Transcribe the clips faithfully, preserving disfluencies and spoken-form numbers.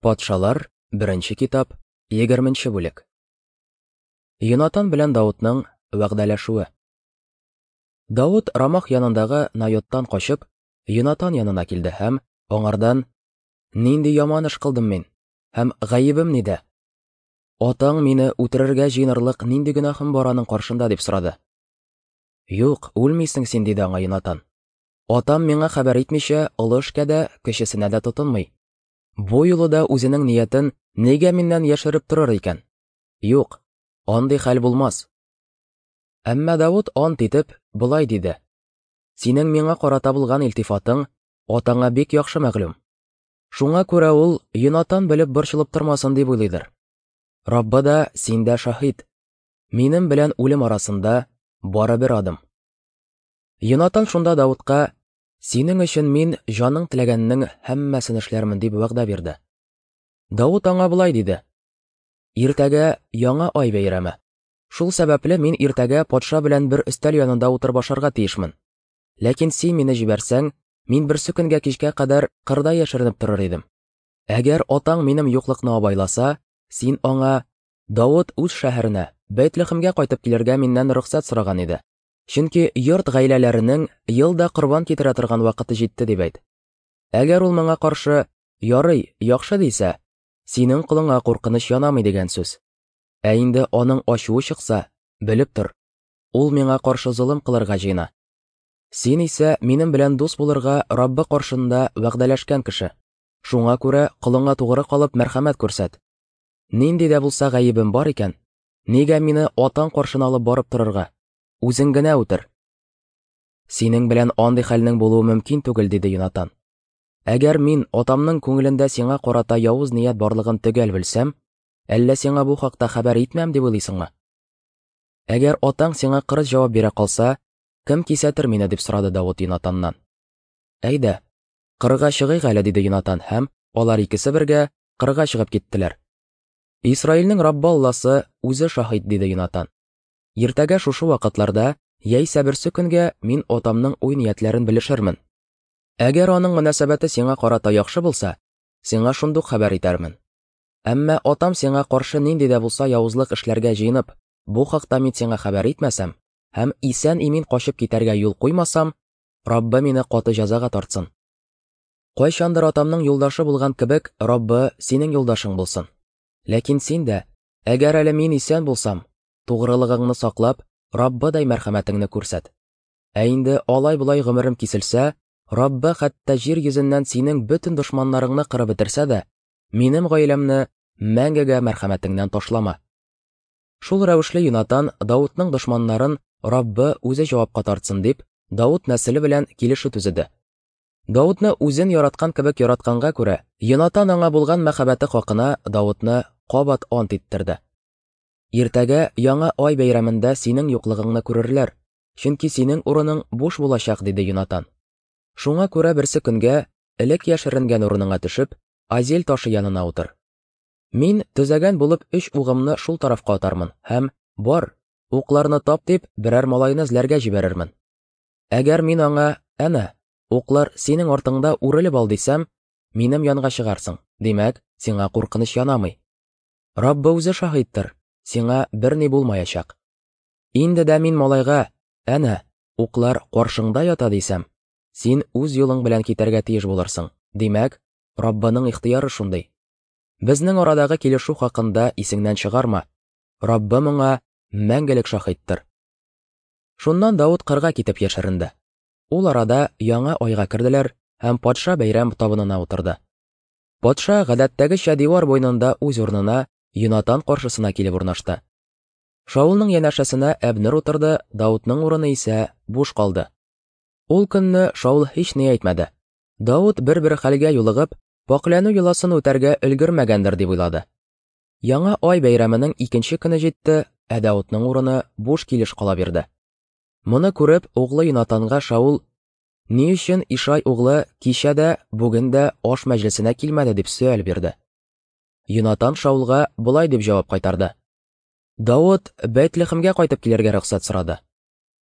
Патшалар, беренче китап, егерменче бүлек. Йонатан белән Давытның вәгъдәләшүе. Давыт Рамах янындагы Найоттан качып, Йонатан янына килде һәм аңардан: "Нинди яман эш кылдым мин? Һәм гаебем нидә? Атаң мине үтерергә җыенырлык нинди гөнаһым бар аның каршында?" дип сорады. "Юк, үлмисең син", диде аңа Йонатан. "Атам миңа хәбәр итмичә, олы эшкә дә, кечесенә дә тотынмый. Бу юлы да үзенең ниятен нигә миннән яшереп торыр икән? Юк, андый хәл булмас." Әмма Давыт ант итеп болай диде: "Синең миңа карата булган илтифатың атаңа бик яхшы мәгълүм. Шуңа күрә ул Йонатан белеп борчылып тормасын дип уйлыйдыр. Раббы да, син дә шаһит. Минем белән үлем арасында бары бер адым." Йонатан шунда Давытка: "Синең өчен мин җаның теләгәннең һәммәсен эшләрмен", дип вәгъдә бирде. Давыт аңа болай диде: "Иртәгә яңа ай бәйрәме. Шул сәбәпле мин иртәгә патша белән бер өстәл янында утырып ашарга тиешмен. Ләкин син мине җибәрсәң, мин берсе көнгә кичкә кадәр кырда яшеренеп торыр идем. Әгәр атаң минем юклыкны абайласа, син аңа: Давыт үз шәһәренә, Бәйтлехемгә кайтып килергә миннән рөхсәт сораган иде. Чөнки йорт гаиләләренең ел да корбан китерә торган вакыты җитте, дип әйт. Әгәр ул моңа каршы: ярый, яхшы дисә, синең колыңа куркыныч янамый дигән сүз. Ә инде аның ачуы чыкса, белеп тор, ул миңа каршы золым кылырга җыена. Син исә минем белән дус булырга Раббы каршында вәгъдәләшкән кеше. Шуңа күрә колыңа тугры калып мәрхәмәт күрсәт. Нинди дә булса гаебем бар икән, нигә мине атаң каршына алып барып торырга? Үзең генә үтер. Синең белән андый хәлнең булуы мөмкин түгел, диде Йонатан. Әгәр мин атамның күңелендә сиңа карата явыз ният барлыгын төгәл белсәм, әллә сиңа бу хакта хәбәр итмәм дип уйлыйсыңмы? Әгәр атаң сиңа кырыс җавап бирә калса, кем кисәтер мине, дип сорады Давыт Йонатаннан. Әйдә, кырга чыгыйк әле, диде Йонатан, һәм алар икесе бергә кырга чыгып киттеләр. Исраилнең Раббы Алласы үзе шаһит, диде Йонатан. Иртәгә шушы вакытларда, яисә берсе көнгә мин атамның уй-ниятләрен белешермен. Әгәр аның мөнәсәбәте сиңа карата яхшы булса, сиңа шундук хәбәр итәрмен. Әмма атам сиңа каршы нинди дә булса явызлык эшләргә җыенып, бу хакта мин сиңа хәбәр итмәсәм һәм исән-имин качып китәргә юл куймасам, Раббы мине каты җәзага тартсын. Кайчандыр атамның юлдашы булган кебек, Раббы синең юлдашың булсын. Ләкин син дә, әгәр әле мин исән булсам, тугрылыгыңны саклап, Раббыдай мәрхәмәтеңне күрсәт. Ә инде алай-болай гомерем киселсә, Раббы хәтта җир йөзеннән синең бөтен дошманнарыңны кырып бетерсә дә, минем гаиләмне мәңгегә мәрхәмәтеңнән ташлама. Шул рәвешле Йонатан Давытның дошманнарын Раббы үзе җавапка тартсын дип, Давыт нәселе белән килешү төзеде. Давытны үзен яраткан кебек яратканга күрә, Йонатан аңа булган мәхәббәте хакына Давытны кабат ант иттерде. Иртәгә яңа ай бәйрәмендә синең юклыгыңны күрерләр, чөнки синең урының буш булачак, диде Йонатан. Шуңа күрә берсе көнгә элек яшеренгән урыныңа төшеп, Азель ташы янына утыр. Мин төзәгән булып өч угымны шул тарафка атармын һәм бар, укларны тап дип берәр малайны эзләргә җибәрермен. Әгәр мин аңа: әнә, уклар синең артыңда, үрелеп ал дисәм, минем янга чыгарсың. Димәк, сиңа куркыныч янамый. Раббы үзе шаһиттыр, сиңа берни булмаячак. Инде дә мин малайга: әнә, уклар каршыңда ята дисәм, син үз юлың белән китәргә тиеш булырсың. Димәк, Раббының ихтыяры шундый. Безнең арадагы килешү хакында исеңнән чыгарма. Раббы моңа мәңгелек шаһиттыр. Шуннан Давыт кырга китеп яшеренде. Ул арада яңа айга керделәр һәм патша бәйрәм табынына утырды. Патша гадәттәгечә дивар буенда үз урынына Йонатан каршысына килеп урнашты. Шаулның янәшәсенә Әбнер утырды, Давытның урыны исә буш калды. Ул көнне Шаул һич ни әйтмәде. Давыт бер-бер хәлгә юлыгып, пакьләнү йоласын үтәргә өлгермәгәндер дип уйлады. Яңа ай бәйрәменең икенче көне җитте, ә Давытның урыны буш килеш кала бирде. Моны күреп, углы Йонатанга Шаул: "Ни өчен Ишай углы кичә дә, бүген дә аш мәҗлесенә килмәде?" дип сөаль бирде. Йонатан Шаулга болай дип җавап кайтарды: "Давыт Бәйтлехемгә кайтып килергә рөхсәт сорады.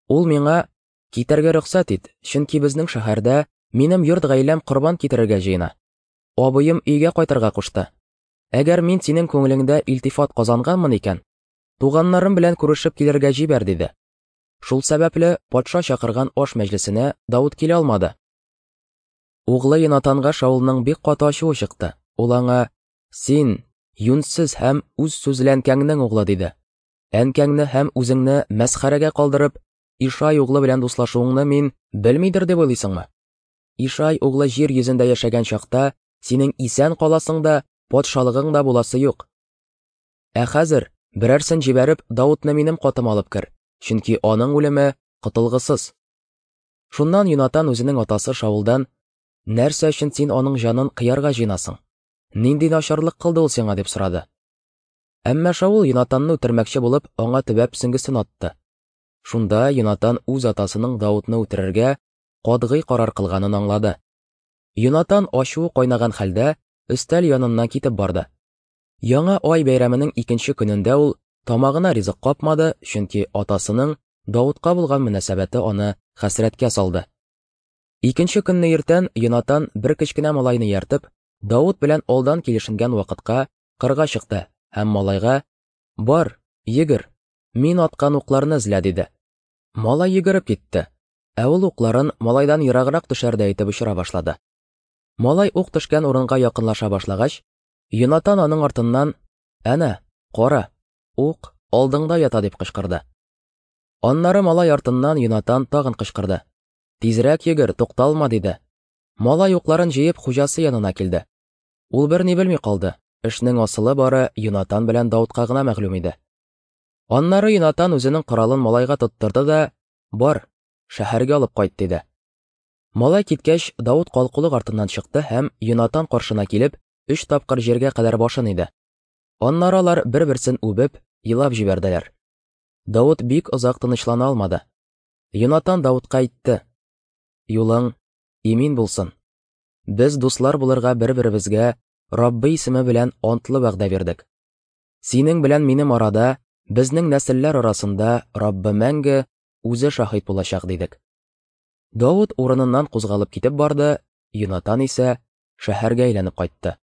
Ул миңа: китәргә рөхсәт ит, чөнки безнең шәһәрдә минем йорт гаиләм корбан китерергә җыена. Абыем өйгә кайтырга кушты. Әгәр мин синең күңелеңдә илтифат казанганмын икән, туганнарым белән күрешеп килергә җибәр, диде. Шул сәбәпле патша чакырган аш мәҗлесенә Давыт килә алмады. Углы Йонатанга Шаулның бик каты ачуы чыкты. Ул аңа: "Син юньсез һәм үз сүзле әнкәңнең углы", диде. "Әнкәңне һәм үзеңне мәсхәрәгә калдырып, Ишай углы белән дуслашуыңны мин белмидер дип уйлыйсыңмы? Ишай углы җир йөзендә яшәгән чакта синең исән каласың да, патшалыгың да буласы юк. Ә хәзер берәрсен җибәреп, Давытны минем катыма алып кер, чөнки аның үлеме котылгысыз". Шуннан Йонатан үзенең атасы Шаулдан: "Нәрсә өчен син аның җанын кыярга җыенасың? Нинди начарлык кылды ул сиңа?" дип сорады. Әмма Шаул Йонатанны үтермәкче булып, аңа төбәп сөңгесен атты. Шунда Йонатан үз атасының Давытны үтерергә катгый карар кылганын аңлады. Йонатан ачуы кайнаган хәлдә өстәл яныннан китеп барды. Яңа ай бәйрәменең икенче көнендә ул тамагына ризык капмады, чөнки атасының Давытка булган мөнәсәбәте аны хәсрәткә салды. Икенче көнне иртән Йонатан бер кечкенә малайны ияртеп, Давыт белән алдан килешенгән вакытка кырга чыкты һәм малайга: "Бар, йөгер, мин аткан укларны эзлә", диде. Малай йөгереп китте, ә ул укларын малайдан ераграк төшәрдәй итеп очыра башлады. Малай ук төшкән урынга якынлаша башлагач, Йонатан аның артыннан: "Әнә, кара, ук алдыңда ята", дип кычкырды. Аннары малай артыннан Йонатан тагын кычкырды: "Тизрәк йөгер, тукталма", диде. Малай укларын җыеп хуҗасы янына килде. Ул берни белми калды. Эшнең асылы бары Йонатан белән Давытка гына мәгълүм иде. Аннары Йонатан үзенең коралын малайга тоттырды да: "Бар, шәһәргә алып кайт", диде. Малай киткәч, Давыт калкулык артыннан чыкты һәм Йонатан каршына килеп, өч тапкыр җиргә кадәр башын иде. Аннары алар бер-берсен үбеп, елап җибәрделәр. Давыт бик озак тынычлана алмады. Йонатан Давытка әйтте: "Юлың имин булсын. Без дуслар булырга бер-беребезгә Раббы исеме белән антлы вәгъдә бирдек. Синең белән минем арада, безнең нәселләр арасында Раббы мәңге үзе шаһит булачак", дидек. Давыт урыныннан кузгалып китеп барды, Йонатан исә шәһәргә әйләнеп кайтты.